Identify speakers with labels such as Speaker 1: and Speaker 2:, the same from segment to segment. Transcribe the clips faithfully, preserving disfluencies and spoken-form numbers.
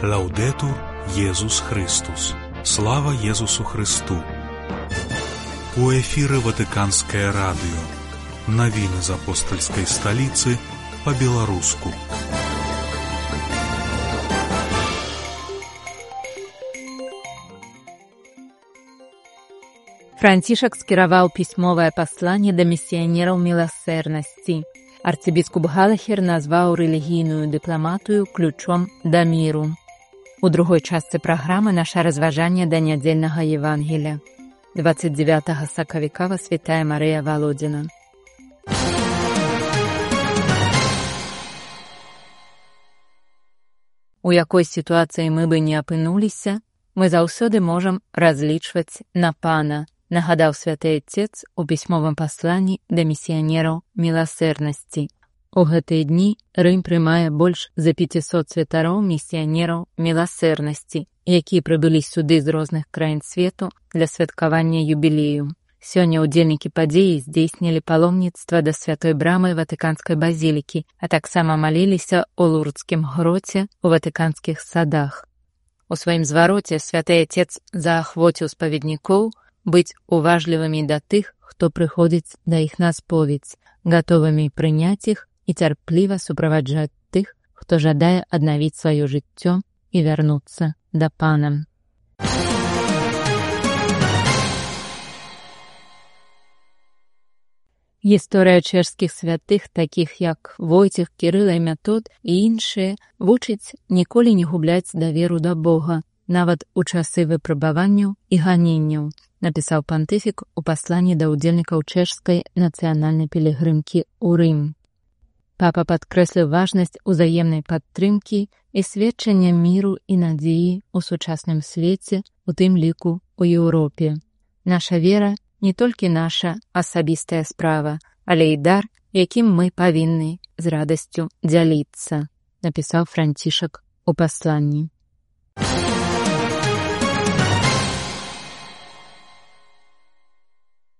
Speaker 1: Лаудетур Єсус Христос. Слава Єсусу Христу. У эфире Ватиканское радио. Новины из апостольской столицы по-белорусски.
Speaker 2: Францішак скіраваў пісьмовае пасланне да місіянераў міласэрнасці. Арцыбіскуп Галахер назваў рэлігійную дыпламатыю ключом да міру. У другой частцы праграмы наша разважанне да нядзельнага Евангелія. двадцать девятого сакавіка Святая Марыя Володина. У якой сітуацыі мы бы не апынуліся, мы заўсёды можам разлічваць на Пана, нагадаў святы Отец у пісьмовым пасланні да місіянераў міласэрнасці. У гэтыя дні Рым прымае больш за пяцісот святароў місіянераў міласэрнасці, якія прыбылі сюды з розных краін свету для святкавання юбілею. Сёння ўдзельнікі падзеі здзейснілі паломніцтва да святой брамы Ватыканскай базілікі, а таксама маліліся ў Лурдскім гроце ў ватыканскіх садах. У сваім звароце святы Отец заахвоціў спаведнікоў быць уважлівымі да тых, хто прыходзіць да іх на споведь, гатовымі прыняць іх і цярпліва суправаджаць тых, хто жадае аднавіць сваё жыццё і вярнуцца да Пана. Гісторыя чэшскіх святых, такіх як Войцех, Кірыла і Метод і іншыя, вучыць ніколі не губляць даверу да Бога, нават у часы выпрабаванняў і ганенняў, напісаў пантыфік у пасланні да ўдзельнікаў чэшскай нацыянальнай пілігрымкі ў Рым. Папа падкрэсліў важнасць узаемнай падтрымкі і сведчання міру і надзеі ў сучасным свеце, у тым ліку ў Еўропе. Наша вера не толькі наша асабістая справа, але і дар, якім мы павінны з радасцю дзяліцца, напісаў Францішак у пасланні.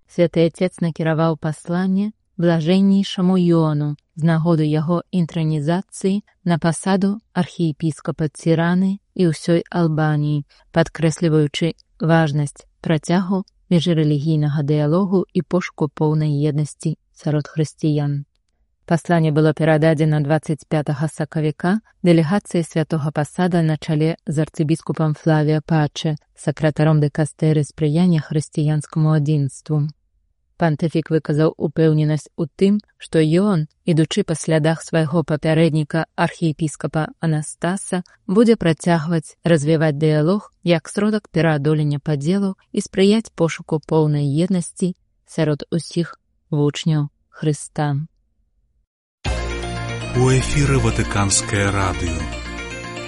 Speaker 2: Святы Отец накіраваў пасланне блажэннейшаму Йоану з нагоды яго інтранізацыі на пасаду архіепіскапа Ціраны і ўсёй Албаніі, падкрэсліваючы важнасць працягу міжрэлігійнага дыялогу і пошуку поўнай еднасці сярод хрысціян. Пасланне было перададзена двадцать пятого сакавіка дэлегацыі святога пасада на чале з арцыбіскупам Флавіа Паче, сакратаром дыкастэры спрыяння хрысціянскаму адзінству. Пантыфік выказаў упэўненасць у тым, што Йоан, ідучы па слядах свайго папярэдніка архіепіскапа Анастаса, будзе працягваць развіваць дыялог як сродак пераадолення падзелаў і спрыяць пошуку поўнай еднасці сярод усіх вучняў Хрыста.
Speaker 1: У эфире Ватиканское радио.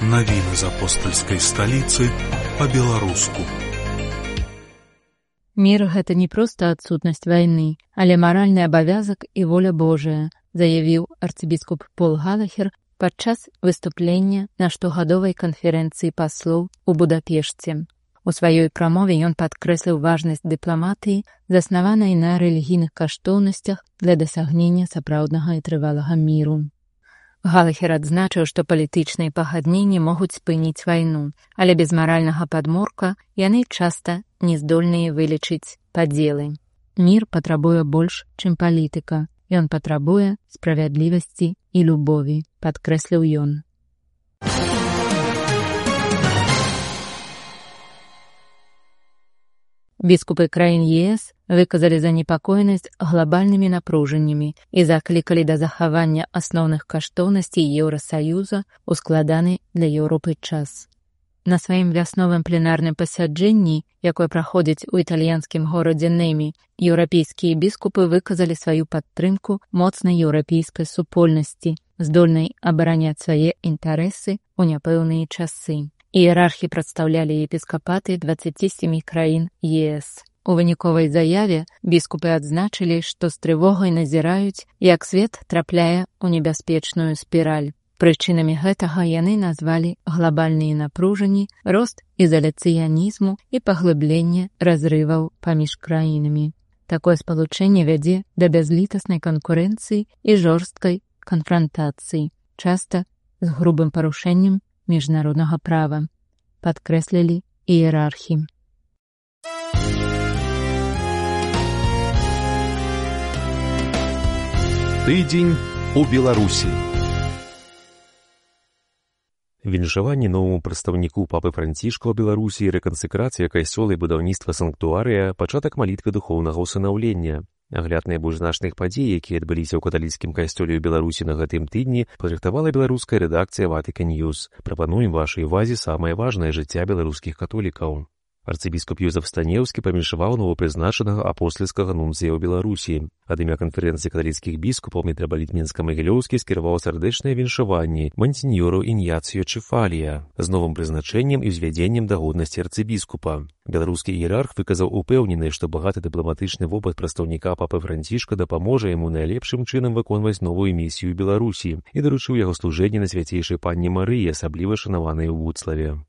Speaker 1: Новины из апостольской столицы по-белорусски.
Speaker 2: Мір – гэта не проста адсутнасць вайны, але маральны абавязак і воля Божая, заявіў арцыбіскуп Пол Галахер падчас выступлення на штогадовай канферэнцыі паслоў у Будапешце. У сваёй прамове ён падкрэсліў важнасць дыпламатыі, заснаванай на рэлігійных каштоўнасцях для дасягнення сапраўднага і трывалага міру. Галахер адзначыў, што палітычныя пагадненні могуць спыніць вайну, але без маральнага падмурка яны часта не здольныя вылечыць падзелы. Мір патрабуе больш, чым палітыка. Ён патрабуе справядлівасці і любові, падкрэсліў ён. Біскупы краін ЕС выказалі занепакоенасць глабальнымі напружаннямі і заклікалі да захавання асноўных каштоўнасцей Еўрасаюза ў складаны для Еўропы час. На сваім вясновым пленарным пасяджэнні, якое праходзіць у італьянскім горадзе Немі, еўрапейскія біскупы выказалі сваю падтрымку моцнай еўрапейскай супольнасці, здольнай абараняць свае інтарэсы ў няпэўныя часы. Іерархі прадстаўлялі епіскапаты дваццаці сямі краін ЕС. У выніковай заяве біскупы адзначылі, што з трывогай назіраюць, як свет трапляе ў небяспечную спіраль. Прычынамі гэтага яны назвалі глабальныя напружанні, рост ізаляцыянізму і паглыбленне разрываў паміж краінамі. Такое спалучэнне вядзе да бязлітаснай канкурэнцыі і жорсткай канфрантацыі, часта з грубым парушэннем міжнароднага права, падкрэслілі іерархі.
Speaker 3: Тыдзень у Беларусі. Віншаванне новаму прадстаўніку папы Францішка ў Беларусі, рэкансэкрацыя касцёла і будаўніцтва санктуарыя, пачатак малітвы духоўнага ўсынаўлення. Агляд найбольш значных падзей, якія адбыліся ў каталіцкім касцёле ў Беларусі на гэтым тыдні, падрыхтавала беларуская рэдакцыя Vatican News. Прапануем вашай увазе самае важнае жыцця беларускіх католікаў. Арцыбіскуп Юзеф Станеўскі паміншаваў новапрызначанага апостальскага нунцыя ў Беларусі. Ад імя канферэнцыі каталіцкіх біскупаў мітрапаліт Мінска-Магілёўскі скіраваў сардэчнае віншаванне мансіньору Іньяцыё Чефалія з новым прызначэннем і ўзвядзеннем да годнасці арцыбіскупа. Беларускі іерарх выказаў упэўненасць, што багаты дыпламатычны вопыт прадстаўніка папы Францішка дапаможа яму найлепшым чынам выконваць новую місію ў Беларусі і даручыў яго служэнне на свяцейшай панне Марыі, асабліва шанаванай у Вуцлаве.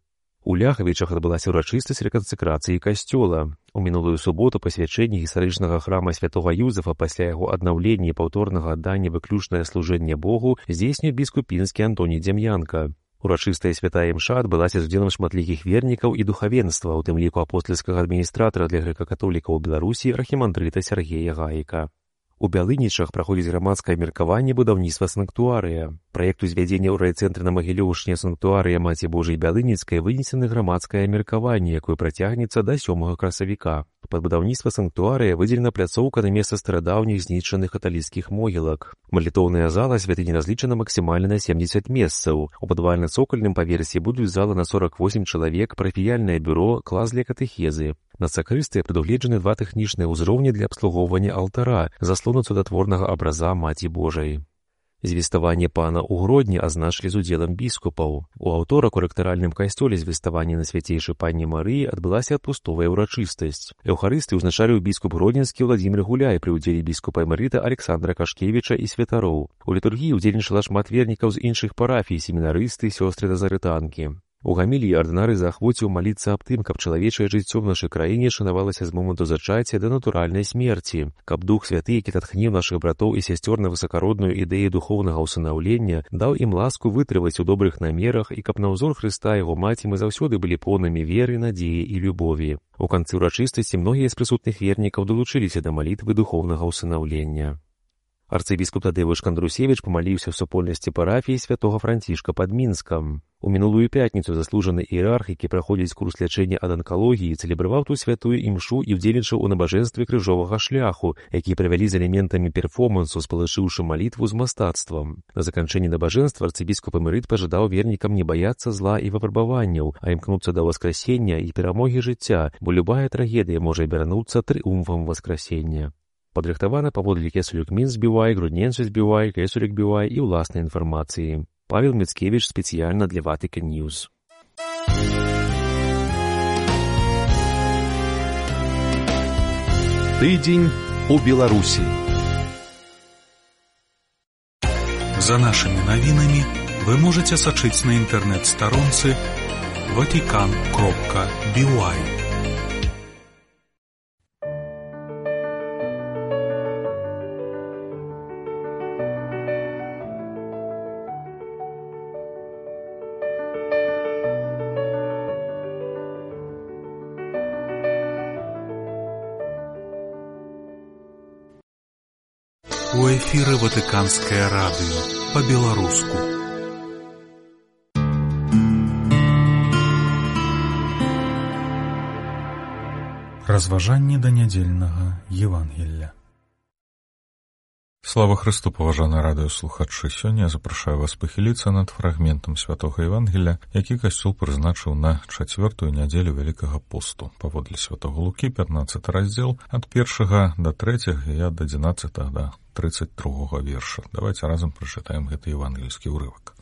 Speaker 3: У Ляхавічах адбылася ўрачыстасць рэкансэкрацыі касцёла. У мінулую суботу пасвячэнне гістарычнага храма святога Юзефа пасля яго аднаўлення і паўторнага аддання выключнае служэнне Богу здзейсніў біскуп пінскі Антоній Дзям'янка. Урачыстая святая імша адбылася з удзелам шматлікіх вернікаў і духавенства, у тым ліку апостальскага адміністратара для грэка-католікаў у Беларусі архімандрыта Сяргея Гаіка. У Бялынічах праходзіць грамадскае меркаванне будаўніцтва санктуарыя. Праект узвядзення ў райцэнтры на Магілёўшчыне санктуарыя Маці Божай Бялыніцкай вынесены грамадскае меркаванне, якое працягнецца да сёмага красавіка. Пад будаўніцтва санктуарыя выдзелена пляцоўка на месца старадаўніх знішчаных каталіцкіх могілак. Малітоўная зала святыні разлічана максімальна на семдзесят месцаў. У падвальна-цокальным паверсе будуць зала на сорак восем чалавек, парафіяльнае бюро, клас для катэхезы. На сакрыстыі прадугледжаны два тэхнічныя ўзроўні для абслугоўвання алтара, заслону цудатворнага абраза Маці Божай. Звеставанне пана ў Гродні азначылі з удзелам біскупаў. У аўторак у рэктаральным касцёле звеставання на свяцейшай панне Марыі адбылася адпустовая ўрачыстасць. Эўхарысты ўзначаліў біскуп гродзенскі Владзімір Гуляй пры ўдзеле біскупа эмэрыта Александра Кашкевіча і святароў. У літургіі ўдзельнічала шмат вернікаў з іншых парафій, семінарысты, сёстры назарытанкі. У гаміліі ардынары заахвоціў маліцца аб тым, каб чалавечае жыццё ў нашай краіне шанавалася з моманту зачацця да натуральнай смерці, каб Дух Святы, які татхніў нашых братоў і сясцёр на высакародную ідэю духоўнага ўсынаўлення, даў ім ласку вытрываць у добрых намерах і каб на ўзор Хрыста яго маці мы заўсёды былі поўнымі веры, надзеі і любові. У канцы ўрачыстасці многія з прысутных вернікаў далучыліся да малітвы духоўнага ўсынаўлення. Арцыбіскуп Тадзеўш Кандрусевіч памаліўся ў супольнасці парафіі святога Францішка пад Мінскам. У мінулую пятніцу заслужаны іерарх, які праходзіць курс лячэння ад анкалогіі, цэлебраваў ту святую імшу і ўдзельнічаў у набажэнстве крыжовага шляху, які правялі з элементамі перформансу, спалучыўшы малітву з мастацтвам. На заканчэнні набажэнства арцыбіскуп эмэрыт пажадаў вернікам не баяцца зла і выпрабаванняў, а імкнуцца да васкрасення і перамогі жыцця, бо любая трагедыя можа абярнуцца трыумфам васкрасення. Падрыхтавана паводле кесулек Мінск Бівай, Грудненсус Бівай, кесулек Бівай і ўласнай інфармацыі. Павел Міцкевіч спецыяльна для Vatican News. Тыдзень у Беларусі.
Speaker 1: За нашими навінамі вы можете сачыць на інтэрнэт-старонцы ватикан кропка би вай. У эфіры Ватыканскае радыё па-беларуску. Разважанне да нядзельнага Евангелля. Слава Христу, паважаныя радыёслухачы! Сёння я запрашаю вас пахіліцца над фрагментам святога Евангелля, які касцёл прызначыў на чацвёртую нядзелю Вялікага посту. Паводле святога Лукі, пятнаццаты раздзел, ад першага да трэцяга і ад адзінаццатага да тридцать другога верша. Давайте разам прачытаем гэты евангельскі ўрывак.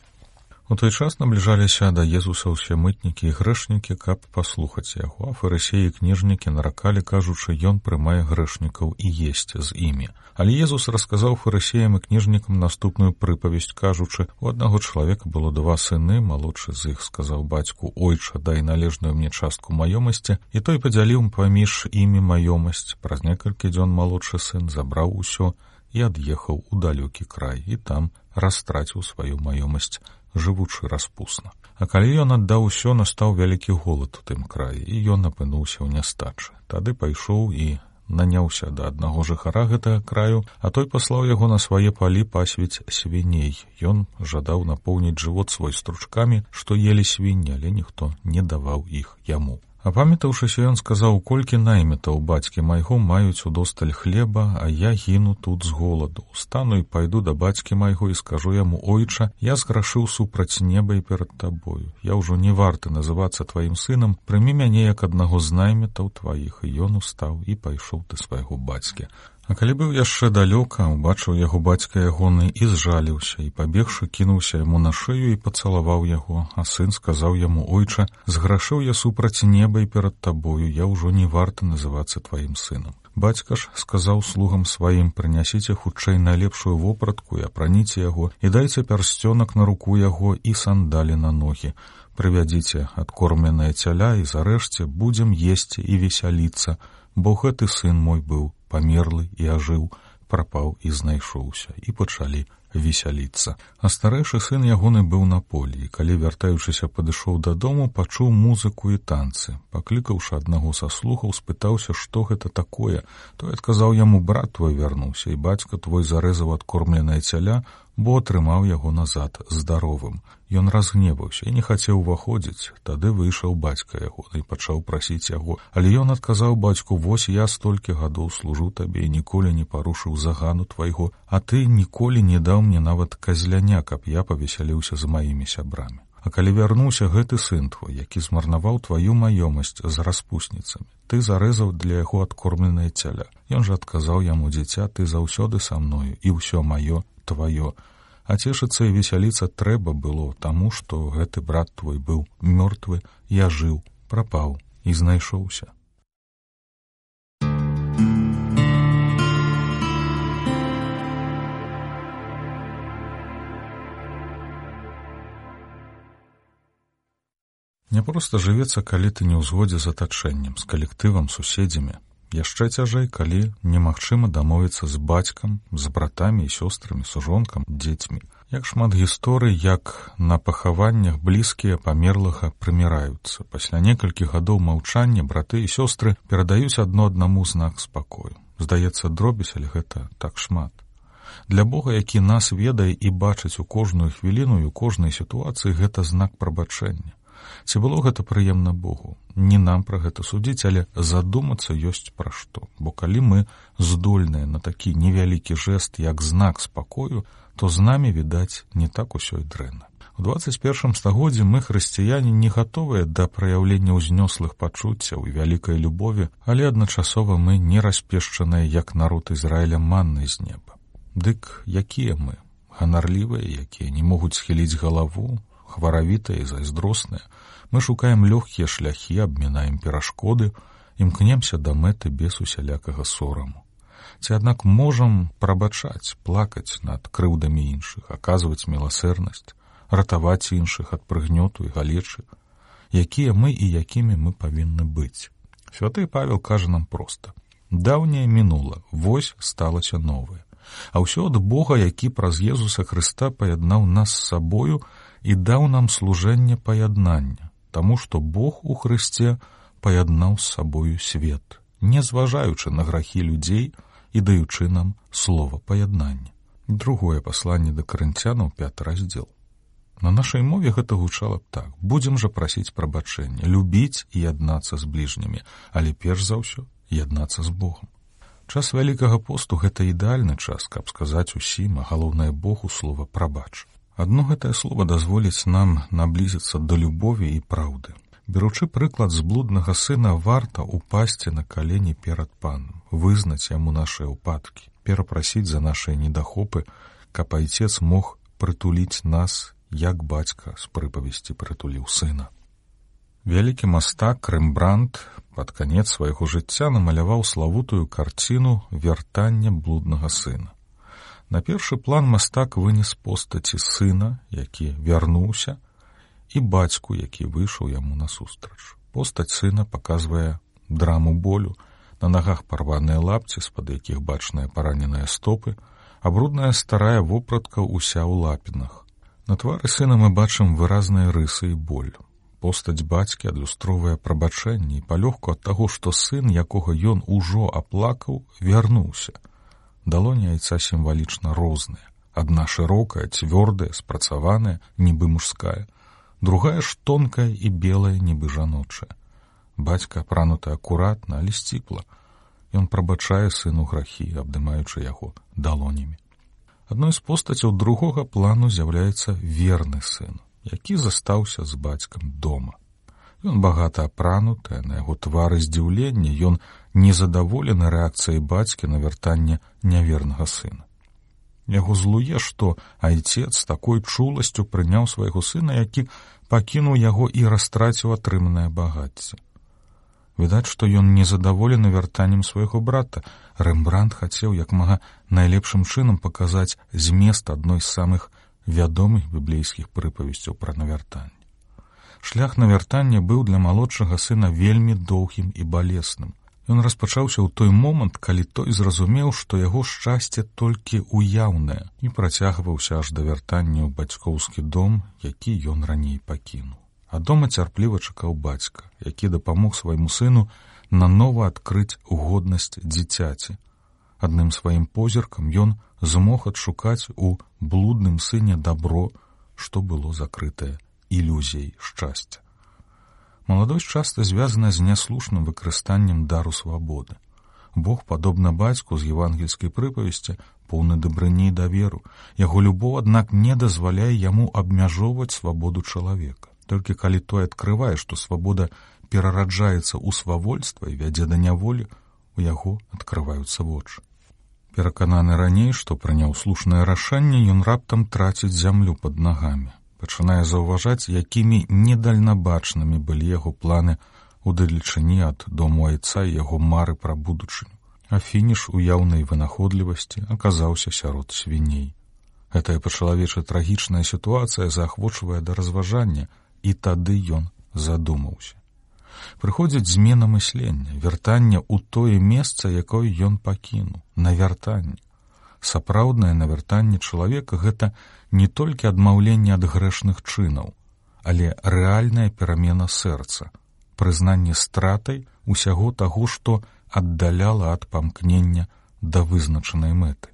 Speaker 1: У той час набліжаліся да Езуса ўсе мытнікі і грэшнікі, каб паслухаць яго, а фарысеі і кніжнікі наракалі, кажучы, ён прымае грэшнікаў і есць з імі. Але Езус расказаў фарысеям і кніжнікам наступную прыпавесць, кажучы, у аднаго чалавека было два сыны, малодшы з іх сказаў бацьку: «Ойча, дай належную мне частку маёмасці», і той падзяліў паміж імі маёмасць. Праз некалькі дзён малодшы сын забраў усё і ад'ехаў у далёкі край, і там растраціў сваю маёмасць, жывучы распусна. А калі ён аддаў усё, настаў вялікі голад у тым краі, і ён апынуўся ў нястачы. Тады пайшоў і наняўся да аднаго жыхара гэтага краю, а той паслаў яго на свае палі пасвіць свіней. Ён жадаў напоўніць жывот свой стручкамі, што елі свінні, але ніхто не даваў іх яму. Апамятаўшыся, ён сказаў: «Колькі наймітаў бацькі майго маюць удосталь хлеба, а я гіну тут з голаду. Стану і пайду да бацькі майго і скажу яму: Ойча, я зграшыў супраць неба і перад табою. Я ўжо не варты называцца тваім сынам, прымі мяне як аднаго з наймітаў тваіх». І ён устаў і пайшоў да свайго бацькі. А калі быў яшчэ далёка, убачыў яго бацька ягоны і зжаліўся, і пабегшы кінуўся яму на шыю і пацалаваў яго. А сын сказаў яму: «Ойча, зграшыў я супраць неба і перад табою, я ўжо не варты называцца тваім сынам». Бацька ж сказаў слугам сваім: «Прынясіце хутчэй найлепшую вопратку і апраніце яго, і дайце пярсцёнак на руку яго і сандалі на ногі. Прывядзіце адкормленае цяля і зарэжце, будзем есці і весяліцца, бо гэты сын мой быў памерлы і ажыў, прапаў і знайшоўся». І пачалі весяліцца. А старэйшы сын ягоны быў на полі, і калі, вяртаючыся, падышоў дадому, пачуў музыку і танцы. Паклікаўшы аднаго са слугаў, спытаўся, што гэта такое. Той адказаў яму: «Брат твой вярнуўся, і бацька твой зарэзаў адкормленае цяля, бо атрымаў яго назад здаровым». Ён разгневаўся і не хацеў уваходзіць. Тады выйшаў бацька ягоны і пачаў прасіць яго. Але ён адказаў бацьку: «Вось я столькі гадоў служу табе і ніколі не парушыў загану твайго, а ты ніколі не даў мне нават казляня, каб я павесяліўся з маімі сябрамі. А калі вярнуўся гэты сын твой, які змарнаваў тваю маёмасць з распусніцамі, ты зарэзаў для яго адкормленае цяля». Ён жа адказаў яму: «Дзіця, ты заўсёды са мною, і ўсё маё тваё. А цешыцца і весяліцца трэба было, таму што гэты брат твой быў мёртвы, я жыў, прапаў і знайшоўся». Няпроста жывецца, калі ты не ў згодзе з атачэннем, з калектывам, суседзямі. Яшчэ цяжэй, калі немагчыма дамовіцца з бацькам, з братамі і сёстрамі, сужонкам, дзецьмі. Як шмат гісторый, як на пахаваннях блізкія памерлага прыміраюцца. Пасля некалькіх гадоў маўчання браты і сёстры перадаюць адно аднаму знак спакою. Здаецца, дробязь, але гэта так шмат. Для Бога, які нас ведае і бачыць у кожную хвіліну і у кожнай сітуацыі, гэта знак прабачэння. Ці было гэта прыемна Богу? Не нам пра гэта судзіць, але задумацца ёсць пра што. Бо калі мы здольныя на такі невялікі жэст, як знак спакою, то з намі, відаць, не так усё і дрэнна. У дваццаць першым стагоддзі мы, хрысціяне, не гатовыя да праяўлення ўзнёслых пачуццяў і вялікай любові, але адначасова мы не распешчаныя, як народ Ізраіля, маннай з неба. Дык якія мы? Ганарлівыя, якія не могуць схіліць галаву, хваравітыя і зайздросныя. Мы шукаем лёгкія шляхі, абмінаем перашкоды, імкнемся да мэты без усялякага сораму. Ці аднак можам прабачаць, плакаць над крыўдамі іншых, аказваць міласэрнасць, ратаваць іншых ад прыгнёту і галечы? Якія мы і якімі мы павінны быць? Святы Павел кажа нам проста: «Даўняе мінула, вось сталася новае». А ўсё ад Бога, які праз Езуса Хрыста паяднаў нас з сабою і даў нам служэнне паяднання, таму што Бог у Хрысце паяднаў з сабою свет, не зважаючы на грахі людзей і даючы нам слова паяднання. Другое пасланне да Карынцянаў, пяты раздзел. На нашай мове гэта гучала б так: будзем жа прасіць прабачэння, любіць і яднацца з бліжнімі, але перш за ўсё яднацца з Богом. Час Вялікага посту — гэта ідэальны час, каб сказаць усім, а галоўнае Богу, слова «прабач». Адно гэтае слова дазволіць нам наблізіцца да любові і праўды. Беручы прыклад з блуднага сына, варта упасці на калені перад Панам, вызнаць яму нашыя ўпадкі, перапрасіць за нашыя недахопы, каб айцец мог прытуліць нас, як бацька з прыпавесці прытуліў сына. Вялікі мастак Рэмбрандт пад канец свайго жыцця намаляваў славутую карціну «Вяртанне блуднага сына». На першы план мастак вынес постаці сына, які вярнуўся, і бацьку, які выйшаў яму насустрач. Постаць сына паказвае драму болю, на нагах парваныя лапці, з-пад якіх бачныя параненыя стопы, а брудная старая вопратка ўся ў лапінах. На твары сына мы бачым выразныя рысы і боль. Постаць бацькі адлюстроўвае прабачэнне і палёгку ад таго, што сын, якога ён ужо аплакаў, вярнуўся. Далоні айца сімвалічна розныя. Адна шырокая, цвёрдая, спрацаваная, нібы мужская. Другая ж тонкая і белая, нібы жаночая. Бацька апрануты акуратна, але сціпла. Ён прабачае сыну грахі, абдымаючы яго далонямі. Адной з постацяў другога плану з'яўляецца верны сын, які застаўся з бацькам дома. Ён багата апрануты, на яго твары здзіўлення, ён незадаволены рэакцыяй бацькі на вяртанне нявернага сына. Яго злуе, што айцец такой чуласцю прыняў свайго сына, які пакінуў яго і растраціў атрыманае багацце. Відаць, што ён незадаволены вяртаннем свайго брата. Рэмбрандт хацеў як мага найлепшым чынам паказаць змест адной з самых вядомых біблейскіх прыпавесцяў пра навяртанне. Шлях навяртання быў для малодшага сына вельмі доўгім і балесным. Ён распачаўся ў той момант, калі той зразумеў, што яго шчасце толькі уяўнае, і працягваўся аж да вяртання ў бацькоўскі дом, які ён раней пакінуў. А дома цярпліва чакаў бацька, які дапамог свайму сыну нанова адкрыць годнасць дзіцяці. Адным сваім позіркам ён змог адшукаць у блудным сыне дабро, што было закрытае ілюзіяй шчасця. Маладосць часта звязана з няслушным выкарыстаннем дару свабоды. Бог, падобна бацьку з евангельскай прыпавесці, поўны дабрыні і даверу. Яго любоў, аднак, не дазваляе яму абмяжоўваць свабоду чалавека. Толькі калі той адкрывае, што свабода перараджаецца ў свавольства і вядзе да няволі, у яго адкрываюцца вочы. Перакананы раней, што прыняў слушнае рашэнне, ён раптам траціць зямлю пад нагамі. Пачынае заўважаць, якімі недальнабачнымі былі яго планы ў далечыні ад дому айца і яго мары пра будучыню. А фініш уяўнай вынаходлівасці аказаўся сярод свіней. Гэтая па-чалавечы трагічная сітуацыя заахвочвае да разважання, і тады ён задумаўся. Прыходзіць змена мыслення, вяртанне ў тое месца, якое ён пакінуў, навяртанне. Сапраўднае навяртанне чалавека — гэта не толькі адмаўленне ад грэшных чынаў, але рэальная перамена сэрца, прызнанне стратай усяго таго, што аддаляла ад памкнення да вызначанай мэты.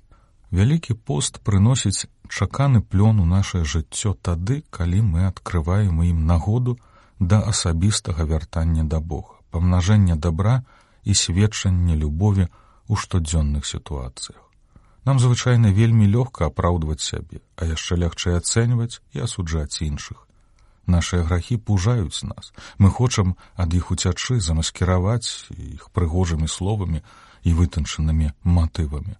Speaker 1: Вялікі пост прыносіць чаканы плён у нашае жыццё тады, калі мы адкрываем ім нагоду да асабістага вяртання да Бога, памнажэння дабра і сведчання любові ў штодзённых сітуацыях. Нам звычайна вельмі лёгка апраўдваць сябе, а яшчэ лягчэй ацэньваць і асуджаць іншых. Нашыя грахі пужаюць нас. Мы хочам ад іх уцячы, замаскіраваць іх прыгожымі словамі і вытанчанымі матывамі.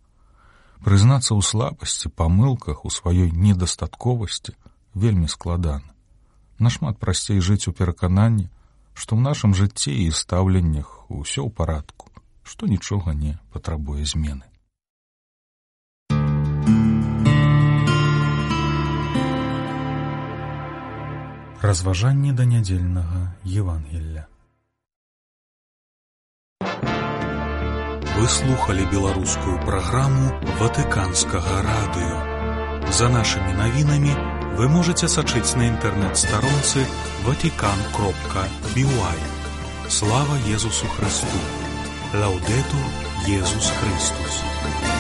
Speaker 1: Прызнацца ў слабасці, памылках, у сваёй недастатковасці вельмі складана. Нашмат прасцей жыць у перакананні, што ў нашым жыцці і стаўленнях усё ў парадку, што нічога не патрабуе змены. Разважанні да нядзельнага Евангелля. Вы слухали беларускую праграму Ватыканскага радыё. За нашымі навінамі вы можаце сачыць на інтэрнэт-старонцы ватикан кропка би уай. Слава Езусу Христу! Лаўдэтур Езус Христус!